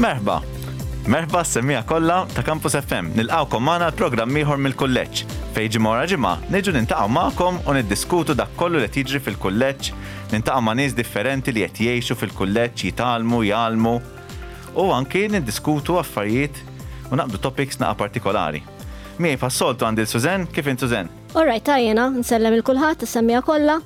Merħba! Merħba s-semmiegħa kollha ta' Campus FM. Nilqgħukom magħna għal programm ieħor mill-kulleġġ, fejn ġimgħa wara ġimgħa niġu nintaqgħu magħkom u niddiskutu dak kollu li qed jiġri fil-kulleġġ, nintaqgħu ma' nies differenti li qed jgħixu fil-kulleġġ, jitgħallmu, jgħallmu u anki niddiskutu affarijiet u naqbdu topics naqa' partikolari. Miegħi bħas-soltu għandi 'l Suzanne, kif int Suzanne? All right, ta' jiena, nsellem 'il kulħadd, is-semmiegħa kollha.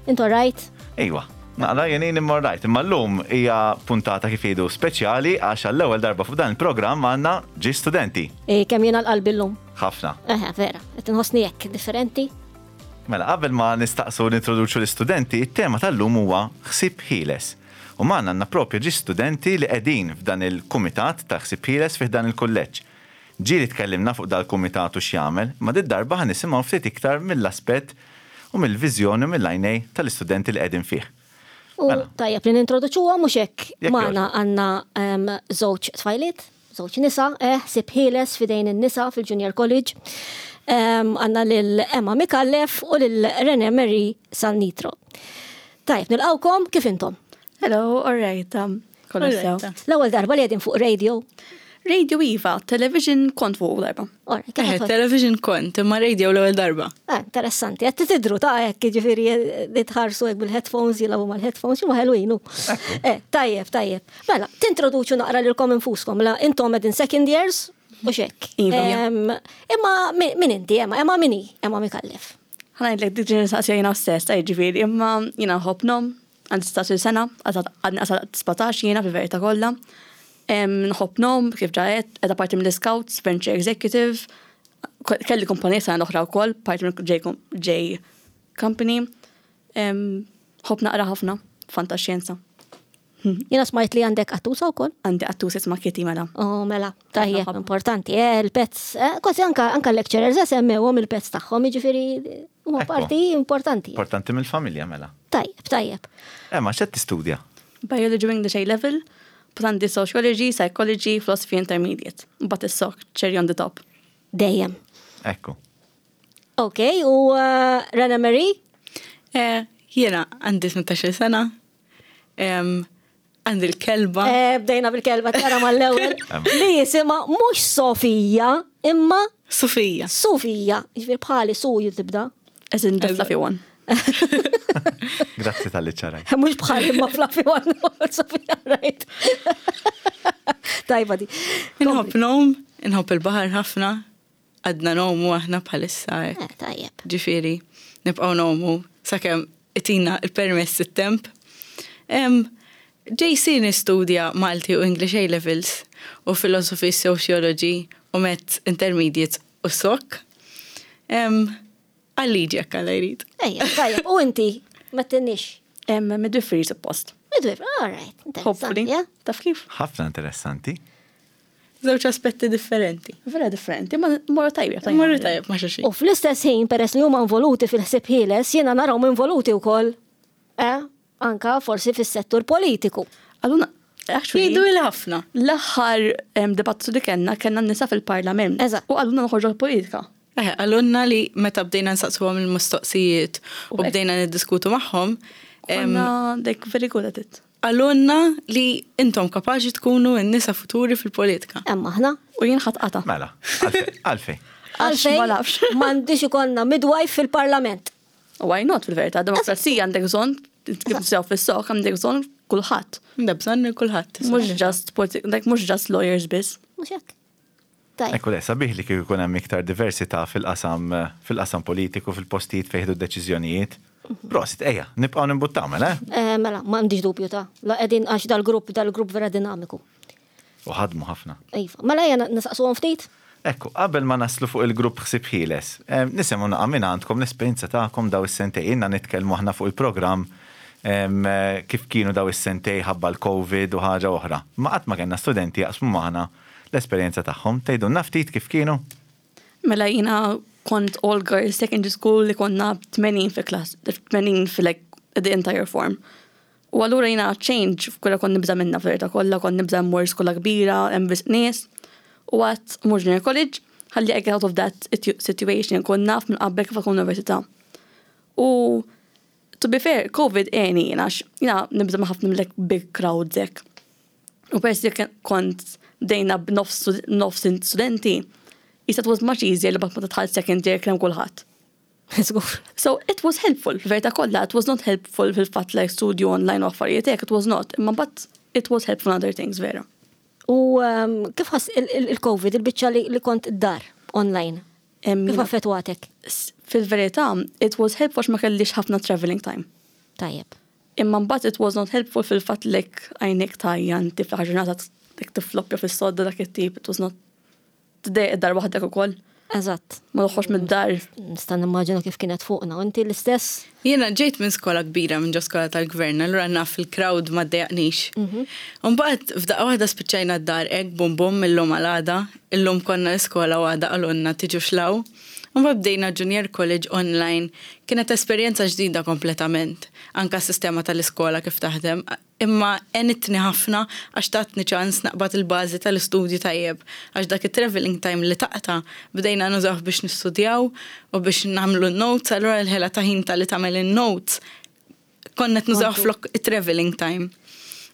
Int all right? Iwa, naqra jien jien imma right, imma llum hija puntata kif jgħidu speċjali għax għall-ewwel darba fuq dan il-programm għandna ġie studenti. Eh, kemm jiena l-qalbi llum. Ħafna. Eħe, vera, qed inħossni hekk differenti. Mela, qabel ma nistaqsu nintroduċu l-istudenti, it-tema tal-lum huwa ħsieb ħieles. U magħna għandna propju ġie studenti li qegħdin f'dan il-kumitat ta' ħsieb ħieles fih dan il-kulleġġ. Ġieli tkellimna fuq dal-kumitat u x'jagħmel, imma did-darba ħa nisimgħu ftit iktar mill-aspett u mill-viżjoni u mill-għajnej tal-istudenti li qegħdin fih. U Mela. tajjeb li nintroduċuhom mhux hekk Jekk magħna għandna ehm, żewġ tfajliet, żewġ nisa, eh, ħsieb ħieles f'idejn in-nisa fil-Junior College. Ehm, Għandna lil Emma Micallef u lil Rene Marie Salnitro. Tajjeb, nilqgħukom kif intom? Hello, all right. Um, kollox sew. L-ewwel darba li qegħdin fuq radio. Radio Iva, television kont fuq darba. Ora, kif Eh, qed- television kont, imma radio l-ewwel darba. Eh, interessanti, qed tidru ta' hekk, jiġifieri li tħarsu hekk bil-headphones, jilagħbu mal-headphones, x'huma ħelwin hu. Eh, tajjeb, tajjeb. Mela, tintroduċu naqra lilkom infuskom, mela intom qegħdin second years u x'hekk. Iva. Em, Imma min min inti, Emma, Emma min hi, Emma Micallef. Ħa ngħidlek dik ġieli nistaqsija jiena stess, ta' jiġifieri, imma jiena nħobb ngħum, għandi 16 sena, għadni qasal 17 jiena fil-verità kollha. Nħobb ngħum, kif ġa għedt, qiegħda parti mill-Scouts, Venture Executive, kelli kumpanija sena l-oħra wkoll, parti minn J, J Company. Nħobb naqra ħafna, fantaxjenza. Jiena smajt li għandek qattusa wkoll. Għandi qattusa jisimha Kitty mela. Oh, mela, tajjeb, ħafna. importanti, eh, il-pets, eh, kważi anka, anka lecturers eh, semmewhom il-pets tagħhom, jiġifieri huma Ekku. parti importanti. Importanti mill-familja mela. Tajjeb, tajjeb. Emma, x'qed tistudja? Biology u English A level, but għandi Sociology, Psychology, Philosophy Intermediate. But is-sok, cherry on the top. Dejjem. Ekku. Ok, u uh, Rena Marie? Eh, Jiena għandi 18 sena, em, għandi l-kelba. Eh, bdejna bil-kelba tara mal-ewwel. Li jisimha mhux Sofija, imma Sofija. Sofija. Jiġifieri bħali su tibda. As in the fluffy one. Grazzi tal-li ċaraj. Mhux bħali imma fluffy one, Sofija, right. Tajba di. Inħobb nom, inħobb il-baħar ħafna, għadna nomu aħna bħalissa hekk. Eh, tajjeb. Ġifieri, nibqgħu nomu sakemm itina il-permess it-temp. Em, JC nistudja Malti u English A levels u Philosophy, Sociology u Met Intermediate u Sok. Em, Għal-liġi jekk għalla jrid. Ejja, tajjeb. U inti, ma tinnix. Midwifery suppost. Midwifery, all right. Hopefully. Interessanti, eh? Taf kif? Ħafna interessanti. Żewġ aspetti differenti. Vera differenti, ma morru tajjeb. Morru tajjeb ma' xulxin. U fl-istess ħin, peress li huma involuti fil-ħsieb ħieles, jiena narahom involuti wkoll. Eh? Anka forsi fis-settur politiku. Allura, actually, Jgħidu il ħafna. l-aħħar em, dibattitu li kellna, kellna n-nisa fil-parlament. Eżatt. U għaluna noħorġu l-politika. Eh, għalunna li meta bdejna nsaqsuhom il-mistoqsijiet u U hekk. bdejna niddiskutu magħhom, em, Konna, like, very good at it. għalunna li intom kapaċi tkunu n-nisa futuri fil-politika. Emma aħna. U jien ħadd qata. Mela, għalfej. Għalfej. Għax ma nafx. m'għandix ikollna midwife fil-parlament. Why not fil-verità? Demokrazija għandek bżonn, kif sew fis-sok għandek bżonn kulħadd. Għandha bżonn lil kulħadd. Mhux just politi- like mhux just lawyers biss. Mhux hekk. Tajjeb. Ekku le, sabiħ li kieku jkun hemm iktar diversità fil-qasam fil-qasam politiku, fil-postijiet fejn jieħdu d-deċiżjonijiet. Prosit, ejja, nibqgħu nimbuttaw mela, eh? Eh, mela, m'għandix dubju ta' la qegħdin għax dal-grupp dal-grupp vera dinamiku. U ħadmu ħafna. Iva, mela ejja nisaqsuhom ftit. Ekku, qabel ma naslu fuq il-grupp ħsieb ħieles, eh, nisimgħu naqa' minn għandkom l-esperjenza tagħkom daw is-sentej. Ilna nitkellmu aħna fuq il-programm em, eh, kif kienu daw is-sentej ħabba l-Covid u ħaġa oħra. Ma qatt ma kellna studenti jaqsmu magħna l-esperjenza tagħhom. Tgħidulna ftit kif kienu? Mela jiena kont all girls secondary school li konna 80 fi class, 80 fi like the entire form. U allura jiena change f'kulla kont nibża minna fil-verità kollha, kont nibża mmur skola kbira, hemm biss nies. U għat mur junior college, ħalli I get out of that situ- situation, kont naf minn qabel kif akun università. U to be fair, COVID għeni jiena, għax jiena nibża ma' ħafna mill big crowds hekk. U peress li kont bdejna b'nofs nofs studenti, it was much easier li mbagħad ma tidħol second year kemm kulħadd. Żgur. So it was helpful, fil-verità kollha, it was not helpful fil-fatt like studio online u affarijiet hekk, it was not, imma but it was helpful in other things, vera. U kif ħass il-Covid, il-biċċa li kont id-dar online? Kif affettwatek? Fil-verità, it was helpful għax ma kellix ħafna traveling time. Tajjeb. Imma mbagħad it was not helpful fil-fatt like għajnek tajja inti fl-aħħar ġurnata dik tifloppja fis-sodda dak it-tip, it was not tidejjaq id-dar waħdek ukoll. Eżatt. Ma toħroġ mid-dar. Nista' nimmaġina kif kienet fuqna. U inti l-istess? Jiena ġejt minn skola kbira, minn ġo skola tal-gvern, allura naf il-crowd ma ddejjaqnix. Mbagħad f'daqqa waħda spiċċajna d-dar hekk bum bum millum għal għada, illum konna l-iskola u għada qalulna tiġux 'l hawn. Mbagħad bdejna Junior College online, kienet esperjenza ġdida kompletament, anka s-sistema tal-iskola kif taħdem, imma għenitni ħafna għax tatni ċans naqbad il-bażi tal-istudju tajjeb, għax dak it-traveling time li taqta' bdejna nużawh biex nistudjaw u biex nagħmlu n-notes, allura l-ħela ta' ħin tal-li tagħmel in-notes konna qed nużawh flok it-traveling time.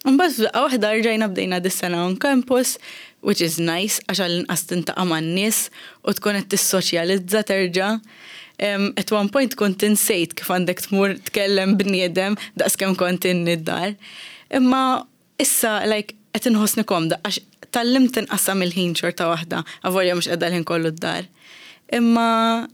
Mbagħad f'daqqa waħda rġajna bdejna dis-sena on campus, which is nice għax għall-inqas tintaqa' man-nies u tkun qed tissoċjalizza terġa'. At one point kont insejt kif għandek tmur tkellem bniedem daqskemm kont inni d-dar. Imma issa like qed inħossni komda għax tgħallimt inqassam il-ħin xorta waħda, avolja mhux qiegħda l-ħin kollu d-dar. Imma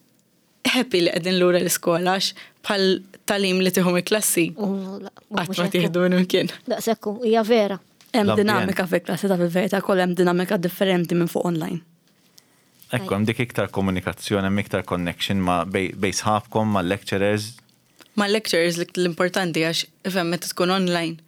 happy li qegħdin lura l-iskola għax bħal tagħlim li tieħu mill-klassi qatt ma tieħdu minn imkien. Daqshekk hu, hija vera. Hemm L-ambjent. dinamika fil-klassi ta' fil-verità kollha hemm dinamika differenti minn fuq online. Ekku, hemm dik iktar komunikazzjoni, hemm iktar connection ma' bejn sħabkom, ma' lecturers. Ma' lecturers l-importanti għax ifhem meta tkun online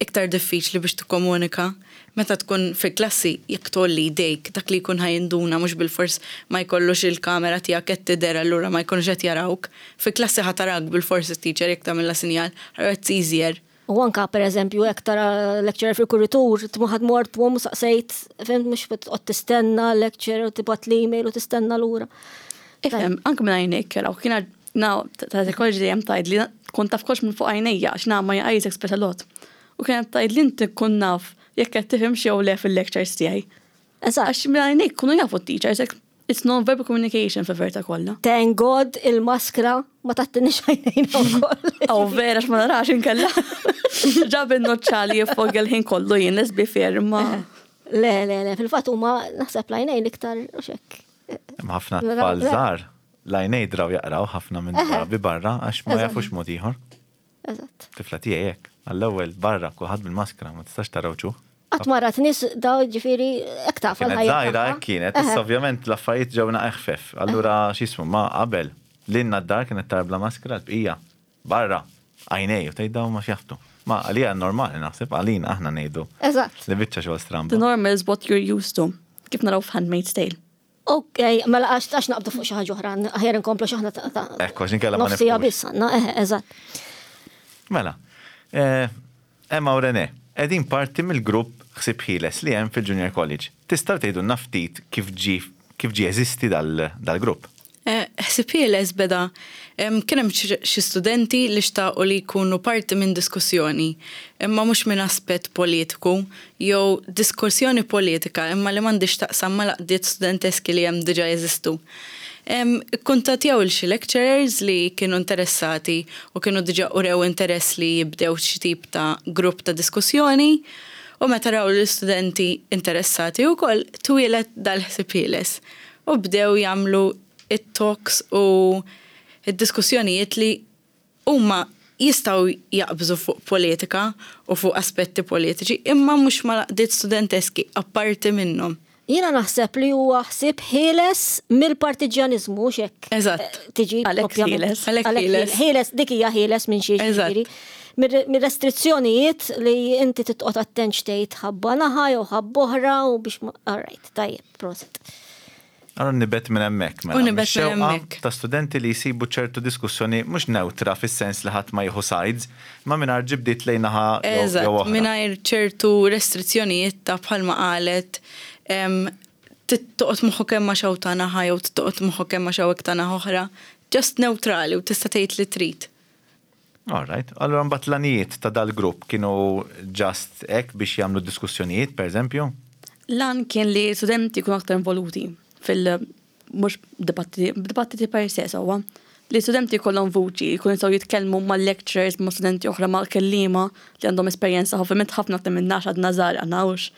iktar diffiċli biex tikkomunika. Meta tkun fil-klassi jekk tgħolli jdejk dak li jkun ħa jinduna mhux bilfors ma jkollux il-kamera tiegħek qed tidher allura ma jkunux qed jarawk. Fil-klassi ħa tarak bilfors it-teacher jekk tagħmilha sinjal, allura it's easier. U anka per eżempju jekk tara lecturer fil-kuritur, tmuħad mort u saqsejt, fhimt mhux toqgħod tistenna lecturer u tibgħat l-email u tistenna lura. Ifhem, anke minn għajnejk jaraw, kiena na ta' psychology dejjem tgħid li kont taf kollox minn fuq għajnejja għax na my eyes express a lot. U kienet tgħid li inti tkun naf jekk qed tifhem xi jew le fil-lectures tiegħi. Eżatt. Għax minn għajnejk kunu jafu t-teachers, like, it's non-verbal communication fil-verità kollha. Thank God il-maskra ma tattinix għajnejna wkoll. Aw vera x'ma narax inkella. Ġab in-noċċali jiffogja l-ħin kollu jien, let's be fair, ma. Le, le, le, fil-fatt huma naħseb l-għajnejn iktar u xek. Hemm ħafna tfal żgħar l-għajnej draw jaqraw ħafna minn drabi barra għax ma jafux mod ieħor. Eżatt. Tifla tiegħi hekk, għall-ewwel barra kulħadd bil-maskra ma tistax taraw ċuħ. Qatt ma rat nies daw ġifieri hekk taf Kienet għall-ħajja żgħira tagħha. hekk kienet, issa ovvjament l-affarijiet ġewna eħfef. Allura x'ismu ma qabel lilna d-dar kienet tara bla maskra l-bqija barra għajnej u tgħid dawn ma x'jaħtu. Ma għalija normali naħseb għalina aħna ngħidu. Eżatt. Li biċċa xogħol stramba. The normal is what you're used to. Kif naraw f'Handmaid's Tale. Ok, mela għax naqbdu fuq xi ħaġa oħra, aħjar inkomplu x'aħna ta' Ekku, għax inkella ma nofsija nifhmux. biss għandna, eħe, eżatt. Mela, Emma u René, qegħdin parti mill-grupp Ħsieb Ħieles li hemm fil-Junior College. Tistgħu tgħidulna ftit kif ġie kif ġie jeżisti dal-grupp? Ħsieb Ħieles beda kien hemm xi studenti li xtaqu li jkunu parti minn diskussjoni, imma mhux minn aspett politiku jew diskussjoni politika imma li m'għandix taqsam mal-għaqdiet studenteski li hemm diġà jeżistu. Ikkuntattjaw il xi lecturers li kienu interessati u kienu diġà urew interess li jibdew xi tip ta' grupp ta' diskussjoni u meta raw l-istudenti interessati wkoll twieled dal-Ħsieb Ħieles u bdew jagħmlu it-talks u id-diskussjonijiet li huma jistgħu jaqbżu fuq politika u fuq aspetti politiċi imma mhux mal-għaqdiet studenteski apparti minnhom. Jiena naħseb li huwa ħsieb ħieles mill-partiġjaniżmu mhux hekk. Eżatt. Tiġi Għalhekk ovvjament. ħieles. Għalhekk Għalhekk ħieles. ħieles, dik hija ħieles minn xi Eżatt. ġifieri. Mir-restrizzjonijiet li inti titqgħod attent x'tgħid ħabba naħa jew ħabba oħra u biex ma. All right, tajjeb, prosit. Allora nibet minn hemmhekk mela. U nibet minn Mix-xewqa hemmhekk. Ta' studenti li jsibu ċertu diskussjoni mhux neutra fis-sens li ħadd ma jieħu sides, ma mingħajr ġibdiet lejn naħa jew Eżatt, oħra. mingħajr ċertu restrizzjonijiet ta' bħalma qalet toqgħod moħħok kemm ma xew ta' naħa jew toqgħod moħħok kemm ma xew ta' naħa oħra. Just neutrali u tista' tgħid li trid. All right. Allura mbagħad l-għanijiet ta' dal-grupp kienu just hekk biex jagħmlu diskussjonijiet, per eżempju? L-għan kien li studenti jkunu aktar involuti fil- mhux dibattiti, dibattiti per se sewwa. Li studenti jkollhom vuċi, jkunu jistgħu jitkellmu ma' lecturers, ma' studenti oħra, ma' kelliema li għandhom esperjenza, ovvjament ħafna aktar minna għax għadna żgħar aħna hux.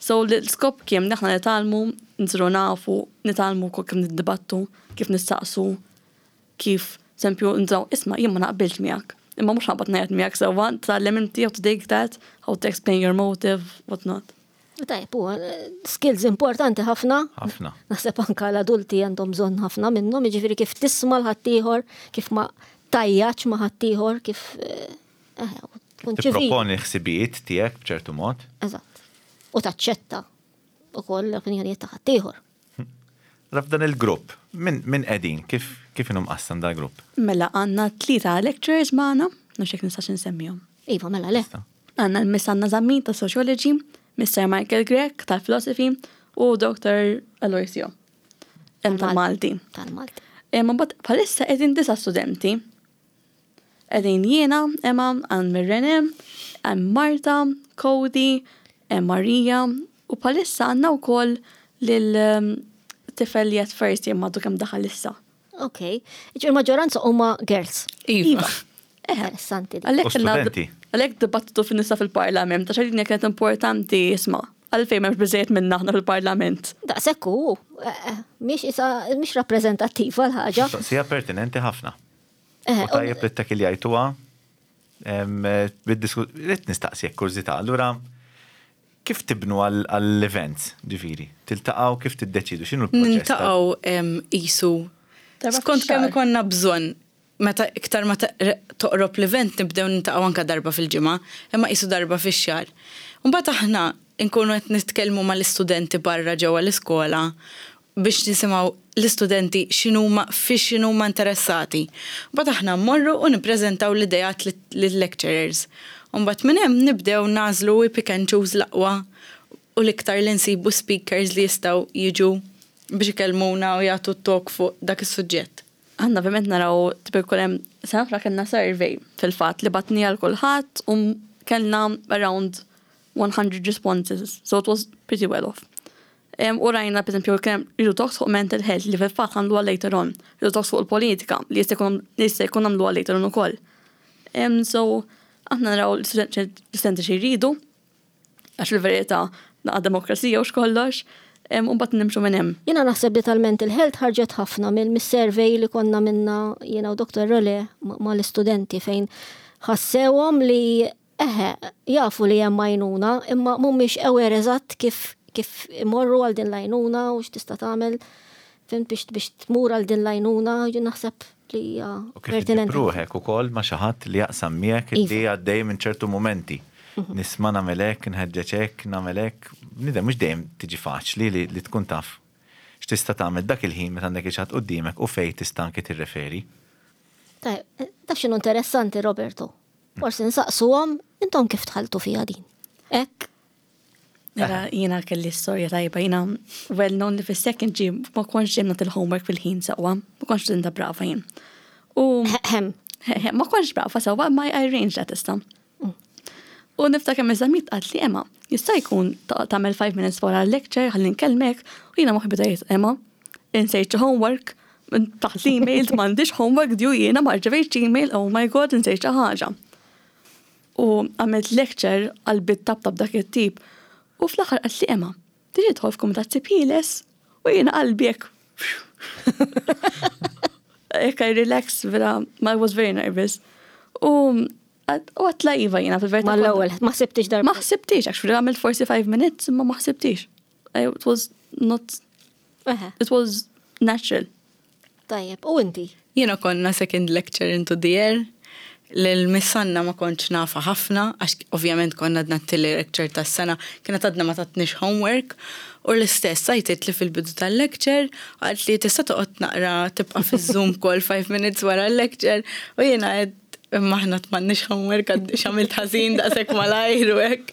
So l-iskop kien li aħna nitgħallmu, nsiru nafu, nitgħallmu wkoll kif niddibattu, kif nistaqsu, kif, eżempju, nżaw, isma' jien ma naqbilx miegħek. Imma mhux ħabbat ngħid miegħek sewwa, tgħallem inti how to take that, how to explain your motive, what not. Tajb, u skills importanti ħafna. Ħafna. Naħseb anka l-adulti għandhom bżonn ħafna minnhom, jiġifieri kif tisma' l-ħaddieħor, kif ma tajjaċ ma' ħaddieħor, kif eh, eh, tkun ċivili. Tipproponi ħsibijiet tiegħek b'ċertu mod. Eżatt. U taċċetta ukoll l-opinjonijiet ta' ħaddieħor. Mela f'dan il-grupp, min min qegħdin? Kif kif inhu mqassam dal-grupp? Mela għandna tlieta lecturers magħna, nafx jekk nistax insemmihom. Iva, mela le. Tista'. Għandna l-Miss Anna Zammit ta' Sociology, Mr. Michael Grech tal-Philosophy u Dr. Aloisio tal-Malti. Tal-Malti. Imma mbagħad bħalissa qegħdin disa' studenti. Qegħdin jiena, Emma, għand Rene, hemm Marta, Cody, hemm Marija u bħalissa għandna wkoll lil tifel li qed first year m'għadu kemm daħal issa. Ok. Il-maġġoranza huma girls. Iva. Interessanti. Għalhekk U studenti. Għalhekk dibattitu fin-nisa fil-parlament, għax għalina kienet importanti isma' għalfejn m'hemmx biżejjed minna aħna fil-parlament. Daqshekk hu, eh, eh, mhix isa mhix rappreżentattiva l-ħaġa. Mistoqsija pertinenti ħafna. Eh, U tajjeb li ttakkiljajtuha Rrid nistaqsi jekk kurżità, allura kif tibnu għall-events, ġifieri? Tiltaqgħu kif tiddeċidu x'inhu l-proċess? Niltaqgħu qisu skont kemm ikollna bżonn meta iktar ma toqrob l-event nibdew niltaqgħu anke darba fil-ġimgħa, imma qisu darba fix-xahar. Imbagħad aħna nkunu qed nitkellmu mal-istudenti barra ġewwa l-iskola biex nisimgħu l-istudenti x'inhuma fiex inhuma interessati. Mbagħad aħna mmorru u nippreżentaw l-ideat lil-lecturers. U mbagħad minn hemm nibdew nagħżlu we pick and choose l-aqwa u l-iktar li nsibu speakers li jistgħu jiġu biex ikellmuna u jagħtu talk fuq dak is-suġġett. Aħna ovvjament naraw tipo jkun hemm sena oħra kellna survey fil-fatt li batniha għal kulħadd u kellna around 100 responses, so it was pretty well off. U rajna, per esempio, kien hemm ridu talks fuq mental health li fil-fatt għamluha later on, ridu talks fuq il-politika li jista' jkun jista' jkun għamluha later on ukoll. So, aħna naraw l-istudenti xi jridu, għax fil-verità naqa' demokrazija u x'kollox, u mbagħad nimxu minn hemm. Jiena naħseb li tal-mental health ħarġet ħafna mill-survey li konna minna jiena u Dr. Role mal-istudenti fejn ħassewhom li Eħe, jafu li hemm għajnuna, imma mhumiex aware eżatt kif kif imorru għal din l-għajnuna u x'tista' tagħmel fhimt biex biex tmur għal din l-għajnuna, jien naħseb li hija U kif iġġib pertinenti. ruħek ukoll ma' xi ħadd li jaqsam miegħek li Iva. għaddej minn ċertu mumenti. Nisma' nagħmel hekk, nħeġġeġ hekk, nagħmel hekk. Bniedem mhux dejjem tiġi faċli li li tkun taf x'tista' tagħmel dak il-ħin meta għandek il xi ħadd quddiemek u fejn tista' anki tirreferi. Tajjeb, taf x'inhu interessanti Roberto? Forsi nsaqsuhom intom kif dħaltu fiha din. Hekk. Mela jiena kelli storja tajba, jiena well known li fis-second G ma kontx dejjem nagħti l-homework fil-ħin sewwa, ma kontx studenta brava jien. U ma kontx brava sewwa, ma I arranged that issa. U niftakar Miss Zammit qalt li Emma, jista' jkun tagħmel 5 minutes wara l-lecture ħalli nkellmek u jiena moħħi beda jgħid Emma, insejt xi homework, taħt l-email m'għandix homework due jiena ma rċevejtx email, oh my god, insejt xi ħaġa. U għamilt lecture qalbi ttabtab dak it-tip u fl-aħħar qaltli Emma, tiġi tidħol f'kumitat Sib Ħieles? U jiena qalbi hekk hekk I relax vera, I was very nervous. U għatla iva jiena fil-verità. Mal-ewwel, ma ħsibtix darba. Ma ħsibtix, actually għamilt forsi 5 minutes, imma ma ħsibtix. It was not It was natural. Tajjeb, u inti? Jiena konna second lecture into the air. Lil Miss Anna ma kontx nafha ħafna, għax ovvjament konna għadna t-tieni lecture tas-sena, kienet għadna ma tatniex homework. U l-istess għajtitli fil-bidu tal-lecture, qaltli tista' toqgħod naqra tibqa' fiż-Zoom call 5 minutes wara l-lecture. U jiena għedt Imma aħna m'għandniex homework għad x'għamilt ħażin daqshekk malajr u hekk.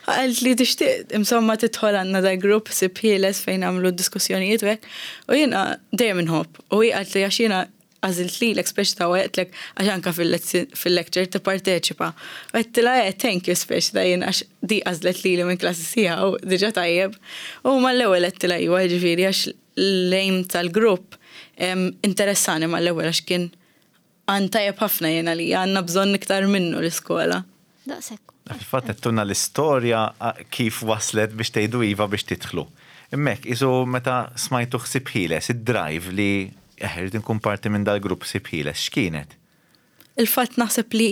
Qalt li tixtieq insomma tidħol għandna da grupp sib ħieles fejn nagħmlu diskussjonijiet u hekk. U jiena dejjem inħobb. U hi qalt li għax jiena għażilt lilek speċi ta' għedtlek għax anka fil-lecture tipparteċipa. U għedtilha eh thank you speċi ta' jien għax di għażlet lili minn klassi sħiħa u diġà tajjeb. U mal-ewwel għedtilha iva jiġifieri għax l-aim tal-grupp interessani mal-ewwel għax kien għan tajjeb ħafna jien għalija, għandna bżonn iktar minnu l-iskola. Daqshekk. Fil-fatt għedtulna l-istorja kif waslet biex tgħidu iva biex tidħlu. Imma hekk, qisu meta smajtu ħsieb ħieles, id-drive li eh irrid inkun parti minn dal-grupp ħsieb ħieles, x'kienet? Il-fatt naħseb li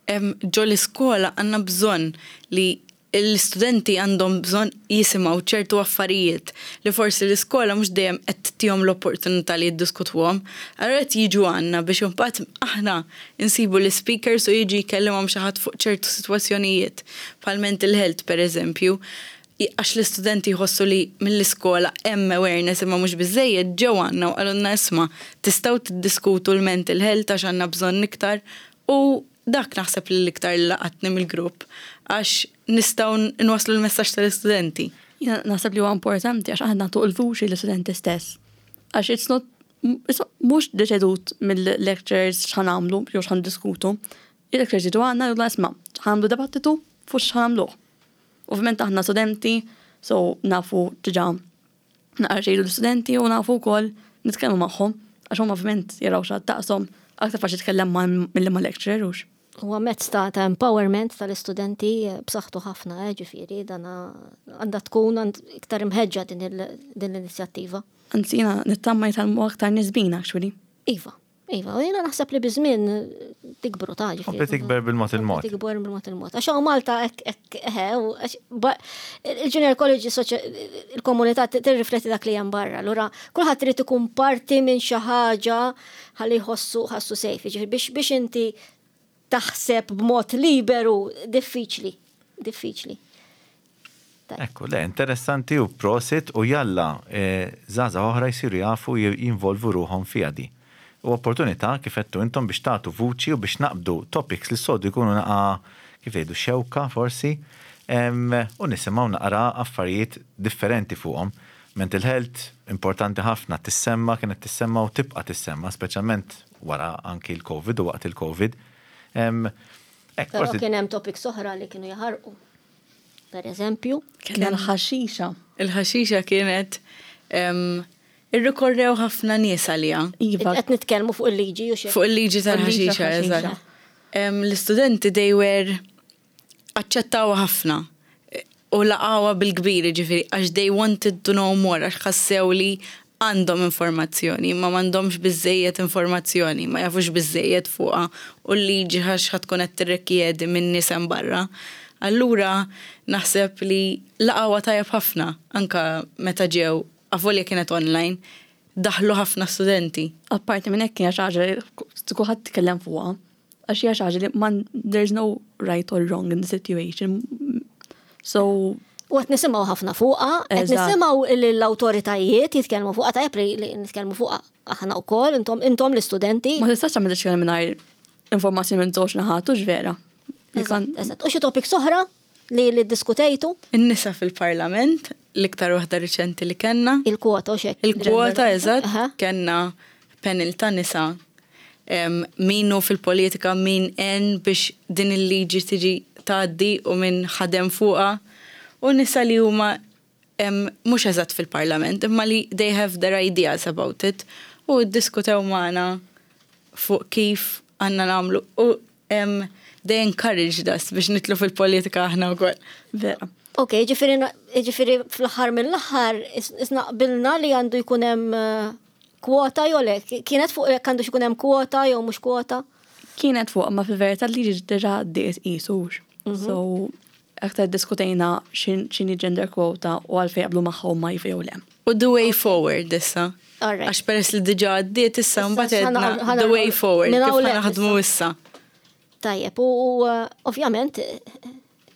ġo l-iskola għandna bżonn li l-istudenti għandhom bżonn jisimgħu ċertu affarijiet li forsi l-iskola mhux dejjem qed tagħtihom l-opportunità li jiddiskutuhom. Allura qed jiġu għandna biex imbagħad aħna nsibu l-ispeakers u jiġi jkellimhom xi ħadd fuq ċertu sitwazzjonijiet, bħal mental health pereżempju, għax l-istudenti jħossu li mill-iskola hemm awareness imma mhux biżżejjed, ġew għandna u qalulna isma' tistgħu tiddiskutu l-mental health għax għandna bżonn iktar u Dak naħseb li l-iktar li laqatni mill-grupp għax nistgħu nwasslu l-messaġġ tal-istudenti. Jiena naħseb li huwa importanti għax aħna nagħtu l-vuċi lill-istudenti stess. Għax it's not mhux deċedut mill-lecturers x'ħa nagħmlu jew x'ħa niddiskutu. Il-lecturers jiġu għandna jgħidulna isma' ħa nagħmlu dibattitu fuq x'ħa nagħmluh. Ovvjament aħna studenti, so nafu diġà naqra xejdu l-istudenti u nafu wkoll nitkellmu magħhom għax huma ovvjament jaraw xi ħadd daqshom aktar faċli tkellem ma' milli ma' lecturer hux. Huwa mezz ta' ta' empowerment tal-istudenti b'saħħtu ħafna, eh, ġifieri dan għandha tkun iktar imħeġġa din l-inizjattiva. Anzi jiena nittama jitgħallmu aktar nies bina actually. Iva. Iva, u jiena naħseb li biż-żmien tikbru ta' ġifieri. Kompli tikber bil-mod il-mod. Tikber bil-mod il-mod. Għax hawn Malta hekk hekk eħe, il-junior college il-komunità tirrifletti dak li hemm barra. Allura kulħadd irid ikun parti minn xi ħaġa ħalli jħossu ħassu safe. Ġifieri biex biex inti taħseb b'mod liberu diffiċli, diffiċli. Ekku, le, interessanti u prosit u jalla żgħażagħ oħra jsiru jafu jinvolvu ruħhom fiha di. U opportunità, kif għedtu intom, biex tagħtu vuċi u biex naqbdu topics li s-soltu jkunu naqa' kif tgħidu xewka forsi, u nisimgħu naqra affarijiet differenti fuqhom. Mental health importanti ħafna tissemma, kienet tissemma u tibqa' tissemma, speċjalment wara anki l-Covid u waqt il-Covid. Hekk, Però kien hemm topics oħra li kienu jaħarqu. Per eżempju. Kien il-ħaxixa. Il-ħaxixa kienet irrikorrew ħafna nies għaliha. Iva. Qed nitkellmu fuq il-liġi u xi. Fuq il-liġi tal-ħaxixa, eżatt. L-istudenti they were aċċettawha ħafna u laqgħuha bil-kbir, jiġifieri għax they wanted to know more għax ħassew li għandhom informazzjoni imma m'għandhomx biżżejjed informazzjoni, ma jafux biżżejjed fuqha u l-liġi x'ħa tkun qed tirrikjedi minn nies hemm barra. Allura naħseb li laqgħuha tajjeb ħafna anke meta ġew avolja kienet online, daħlu ħafna studenti. Apparti minn hekk hija xi ħaġa li kulħadd tkellem fuqha. Għax hija xi ħaġa li man there's no right or wrong in the situation. So U qed nisimgħu ħafna fuqha, qed nisimgħu l-awtoritajiet jitkellmu fuqha tajjeb li nitkellmu fuqha aħna wkoll, intom intom l-istudenti. Ma tistax tagħmel deċiżjoni mingħajr informazzjoni minn żewġ naħat, hux vera. Eżatt. U xi topics oħra li li ddiskutejtu? In-nisa fil-Parlament, l-iktar waħda riċenti li kellna. Il-kwota u xek. Il-kwota, eżatt. Kellna panel ta' nisa min hu fil-politika, min għen biex din il-liġi tiġi tgħaddi u min ħadem fuqha u nisa li huma mhux eżatt fil-parlament imma li they have their ideas about it u ddiskutew magħna fuq kif għandna nagħmlu u they encouraged us biex nidħlu fil-politika aħna wkoll. Vera. Ok, ġifieri ġifieri fl-aħħar mill-aħħar isna qbilna li għandu jkun hemm eh, kwota jew le? Kienet fuq jekk għandux ikun hemm kwota jew mhux kwota? Kienet fuq, ma fil-verità li diġà għaddiet qisux. So aktar diskutejna x'inhi gender quota u għalfejn jaqblu magħha huma iva jew le. U the way forward issa. Għax peress li diġà għaddiet issa mbagħad għedna the way forward kif ħa naħdmu issa. Tajjeb, u ovvjament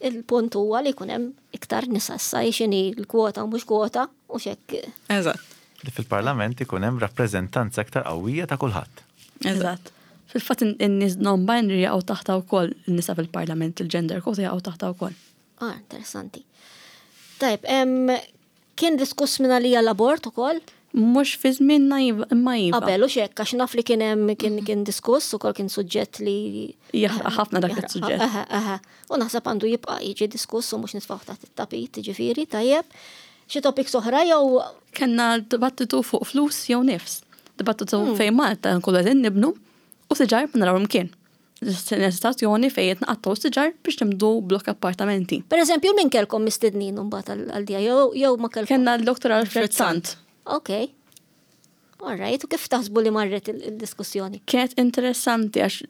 il-punt huwa li jkun hemm iktar nisa issa x'inhi l-kwota u mhux kwota u x'hekk. Eżatt. Li fil-Parlament ikun hemm rappreżentanza iktar qawwija ta' kulħadd. Eżatt. Fil-fatt in-nies non-binary jaqgħu taħtha wkoll, in-nisa fil-Parlament, il-gender quota jaqgħu taħtha wkoll. Ah, interessanti. Tajjeb, kien diskuss minn għalija l-abort ukoll? Mhux fi żmienna iva, imma iva. Qabel u xek, għax naf li kien hemm kien kien diskuss ukoll kien suġġett li Jaħraq ħafna dak is-suġġett. Aha, aha. U naħseb għandu jibqa' jiġi diskuss u mhux nitfgħu taħt it-tapit, ġifieri, tajjeb. Xi topics oħra jew Kenna dibattitu fuq flus jew nifs. Dibattitu fejn Malta nkunu qegħdin nibnu u siġar ma narawhom kien. Situazzjoni fejn qed naqattgħu siġar biex nibdu blok appartamenti. Per eżempju, min kellkom mistednin mbagħad għal dija jew jew ma kellkom? Kenna l-Dr. Alfred Sant. Ok. All right, u kif taħsbu li marret il-diskussjoni? Kienet interessanti għax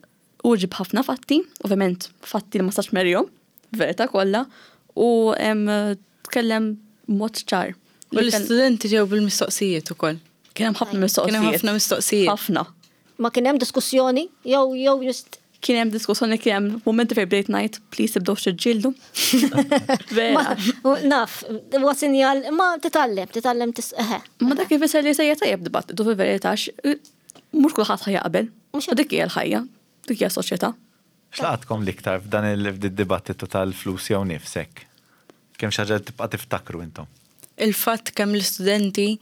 u ġib ħafna fatti, ovvjament fatti li ma stax merjom, verità kollha, u em, tkellem mod ċar. U l-istudenti ġew bil-mistoqsijiet ukoll. Kien hemm ħafna mistoqsijiet. Kien hemm ħafna mistoqsijiet. Ħafna. Ma kien hemm diskussjoni jew jew just Kien hemm diskussjoni kien hemm momenti fejn bdejt ngħid please tibdewx tiġġieldu. Vera. Ma, naf, huwa sinjal, ma titgħallem, titgħallem tis eħe. Ma dak ifisser li sejja tajjeb dibattitu fil-verità għax, mhux kulħadd ħa jaqbel. Mhux U dik hija l-ħajja, dik hija s-soċjetà. X'laqatkom l-iktar f'dan il-dibattitu tal-flus jew nifsek? Kemm xi ħaġa li tibqa' tiftakru intom? Il-fatt kemm l-istudenti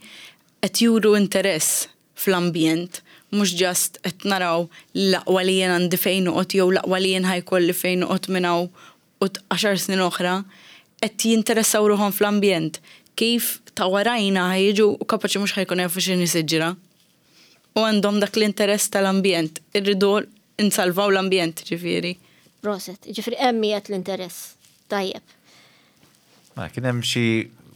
qed juru interess fl-ambjent, mhux just qed naraw l-aqwa li jien għandi fejn noqgħod jew l-aqwa li jien ħa jkolli fejn noqgħod minn hawn u 10 snin oħra, qed jinteressaw ruħhom fl-ambjent. Kif ta' warajna ħa jiġu u kapaċi mhux ħa jkunu jafu x'inhi siġra. U għandhom dak l-interess tal-ambjent, irridu nsalvaw l-ambjent ġifieri. Proset, ġifieri hemm qiegħed l-interess. Tajjeb. Ma kien hemm xi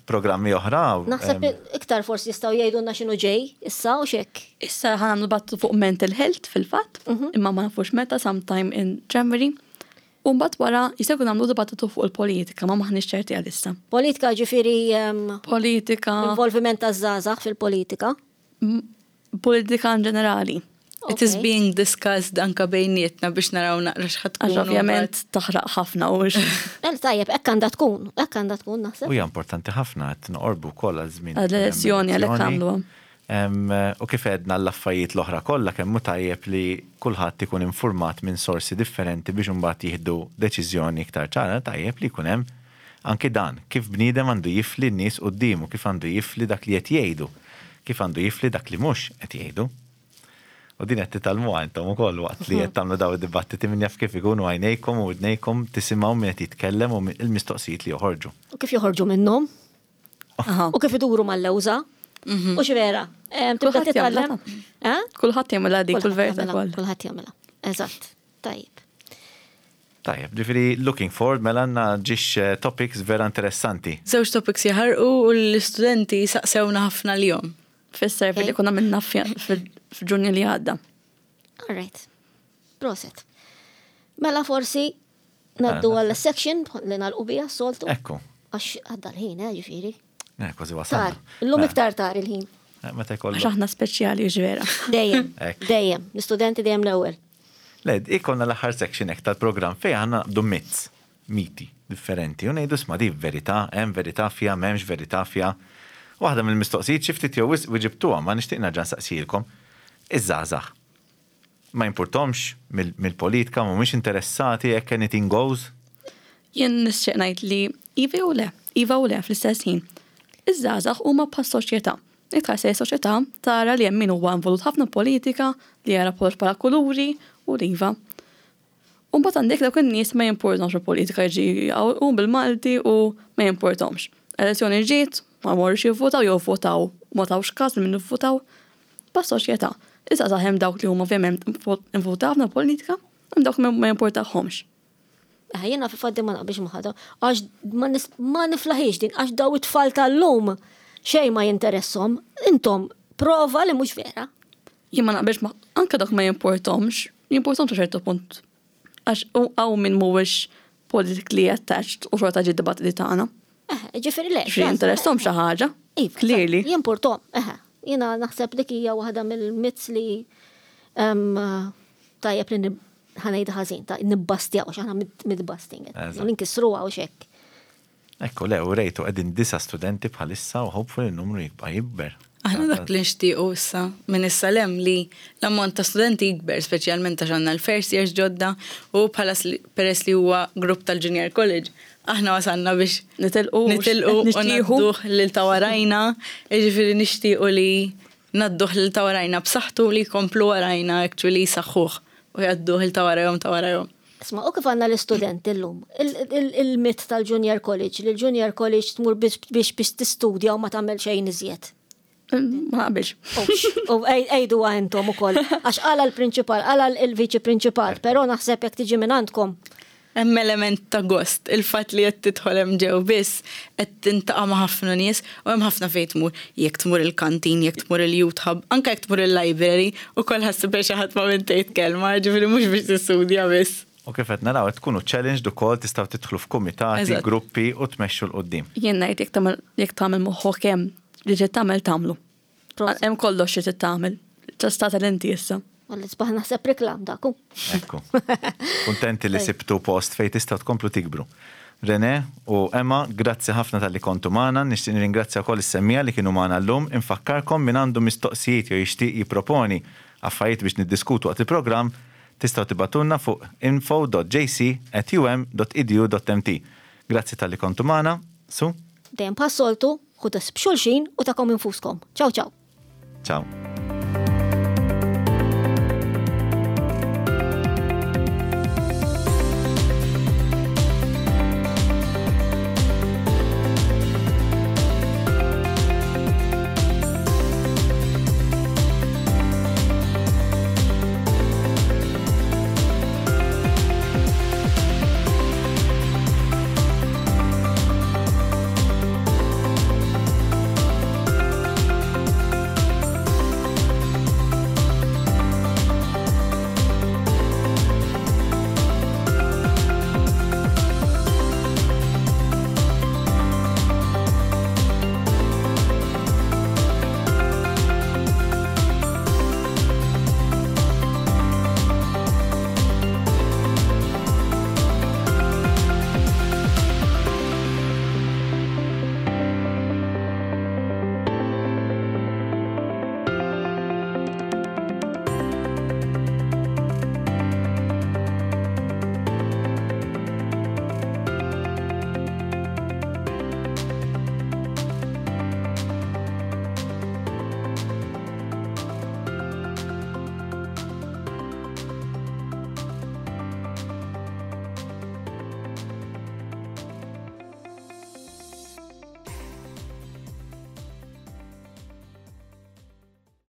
programmi oħra? Naħseb iktar forsi jistgħu jgħidulna x'inhu ġej issa u x'hekk. Issa ħa nagħmlu dibattitu fuq mental health fil-fatt, imma ma nafux meta sometime in January. U mbagħad wara jista' jkun nagħmlu dibattitu fuq il-politika, ma maħniex ċerti għalissa. Politika ġifieri Politika, involviment taż-żgħażagħ fil-politika. politika in ġenerali. It is Ok. being discussed anka bejnietna biex naraw naqra x'ħa tkun. Għax ovvjament taħraq ħafna u El tajjeb, hekk għandha tkun, hekk għandha tkun naħseb. U hija importanti ħafna qed noqorbu wkoll għal żmien. Għall-elezzjoni, għalhekk għamluha. U kif għedna l-affarijiet l-oħra kollha kemm hu tajjeb li kulħadd ikun informat minn sorsi differenti biex imbagħad jieħdu deċiżjoni iktar ċara, tajjeb li jkun hemm anki dan, kif bniedem għandu jifli n-nies quddiemu, kif għandu jifli dak li qed jgħidu, kif għandu jifli dak li mhux qed jgħidu. U din qed titgħallmuha intom ukoll waqt li qed tagħmlu daw id-dibattiti min jaf kif ikunu għajnejkom u widnejkom tisimgħu min qed jitkellem u il-mistoqsijiet li joħorġu. U kif joħorġu minnhom, Aha. u kif iduru mal-lewża. U x'vera, tibda Kulħadd titgħallem. jagħmilha. Eh? Kulħadd jagħmilha dik kull Kulħadd verità jagħmilha, kollha. Kulħadd jagħmilha. Eżatt. Tajjeb. Tajjeb, ġifieri looking forward mela għandna ġiex topics vera interessanti. Żewġ topics jaħarqu u l-istudenti saqsewna ħafna l-jom. Fis-survey li Ok. konna minna f'Ġunju li għadda. All right. Proset. Mela forsi naddu Mela, għall section li nagħlqu biha s-soltu. Ekku. Għax għadda l-ħin, eh, ġifieri. Kważi Tar. wasalna. Illum Mela, iktar tar il-ħin. Meta Għax jkollok. aħna speċjali ġvera. Dejjem. Ekk. Dejjem. L-istudenti dejjem l-ewwel. Le, ikonna l-aħħar section hekk tal-programm fejn aħna naqbdu myths, miti differenti. U ngħidu sma di verità, hemm verità fiha, m'hemmx verità fiha. Waħda mill-mistoqsijiet xi ftit jew wisq wiġibtuha, ma nixtieq nerġa' nsaqsilkom. Iż-żgħażagħ. Ma jimpurtomx mill-politika, mhumiex interessati jekk anything goes. Jien nixtieq ngħid li iva jew le, iva u le fl-istess ħin. Iż-żgħażagħ huma bħas soċjetà. Iktar se soċjetà tara li hemm min huwa involut ħafna politika, li jara kollox bħala kuluri u li iva. U mbagħad għandek dawk in-nies ma jimpurtomx il-politika jiġi u bil-Malti u ma jimpurtomx. Elezzjoni ġiet, ma morrux jivvotaw jew votaw, ma tawx każ li min ivvotaw. Bħas soċjetà. Issa hemm dawk li huma ovvjament involuti ħafna politika, hemm dawk li ma jimpurtahomx. Eh, Jiena fil-fatt ma naqbilx ma' ħadd, għax ma nis- ma niflaħix din, għax daw it-tfal tal-lum xejn ma jinteressom, intom prova li mhux vera. Jien ma naqbilx ma anke dak ma jimportomx, jimportomx sa ċertu punt. Għax hawn min mhuwiex politically attached u xorta ġie dibattiti tagħna. Eh, ġifieri le. Xi jinteressom xi ħaġa. Iva, Clearly. Jimportom, eħe. Jiena naħseb dik hija waħda mill-myths li em, tajjeb li nib- ħa ngħidha ħażin, ta' nibbastjaw, għax aħna myth-busting. Eżatt. Ninkisruha u xek. Ekku, le, u rejtu qegħdin disa studenti bħalissa u hopefully n-numru jibqa' jikber. Aħna dak li nixtiequ issa minn issa lem li l-ammont ta' studenti jikber, speċjalment għax għandna l-first years ġodda u bħala peress li huwa grupp tal-Junior College, Aħna wasalna biex Nitilqu. nitilqu u nixtieħu. ngħadduh lil ta' warajna, jiġifieri nixtiequ li ngħadduh lil ta' warajna b'saħħtu li jkomplu warajna actually jsaħħuh u jgħadduh lil ta' warajhom ta' warajhom. Isma', u kif għandna l-istudenti llum, il-mit tal-Junior College, li l-Junior College tmur biex biex tistudja u ma tagħmel xejn iżjed. Ma naqbilx. U għidu intom ukoll. Għax qala l-prinċipal, qala l-viċi prinċipal, però naħseb jekk tiġi minn għandkom. Hemm element ta' gost, il-fatt li qed tidħol hemm ġew biss qed tintaqa' ma' ħafna nies u hemm ħafna fejn tmur. Jekk tmur il-kantin, jekk tmur il-youth hub, anke jekk tmur il-library, ukoll ħa ssib xi ħadd ma' min tgħid kelma, ġifieri mhux biex tistudja biss. U kif qed naraw qed tkunu challenged ukoll tistgħu tidħlu f'kumitati, gruppi u tmexxu 'l quddiem. Jien ngħid jekk tagħmel jekk tagħmel moħħok hemm li trid tagħmel tagħmlu. Hemm kollox xi trid tagħmel. Tista' tagħmel inti issa. Għalli sbaħ naħseb reklam dak. Ekku. Kuntenti li sibtu post fejn tistgħu tkomplu tikbru. Rene u Emma, grazzi ħafna talli kontu magħna, nixtieq nirringrazzja wkoll is-semmiegħa li kienu magħna llum, infakkarkom min għandu mistoqsijiet jew jixtieq jipproponi affarijiet biex niddiskutu waqt il-programm, tistgħu tibagħtulna fuq info.jc@um.edu.mt. Grazzi talli kontu magħna, Su? Dejjem bħas-soltu, ħudu ħsieb xulxin u tagħkom infuskom. Ciao ciao. Ciao.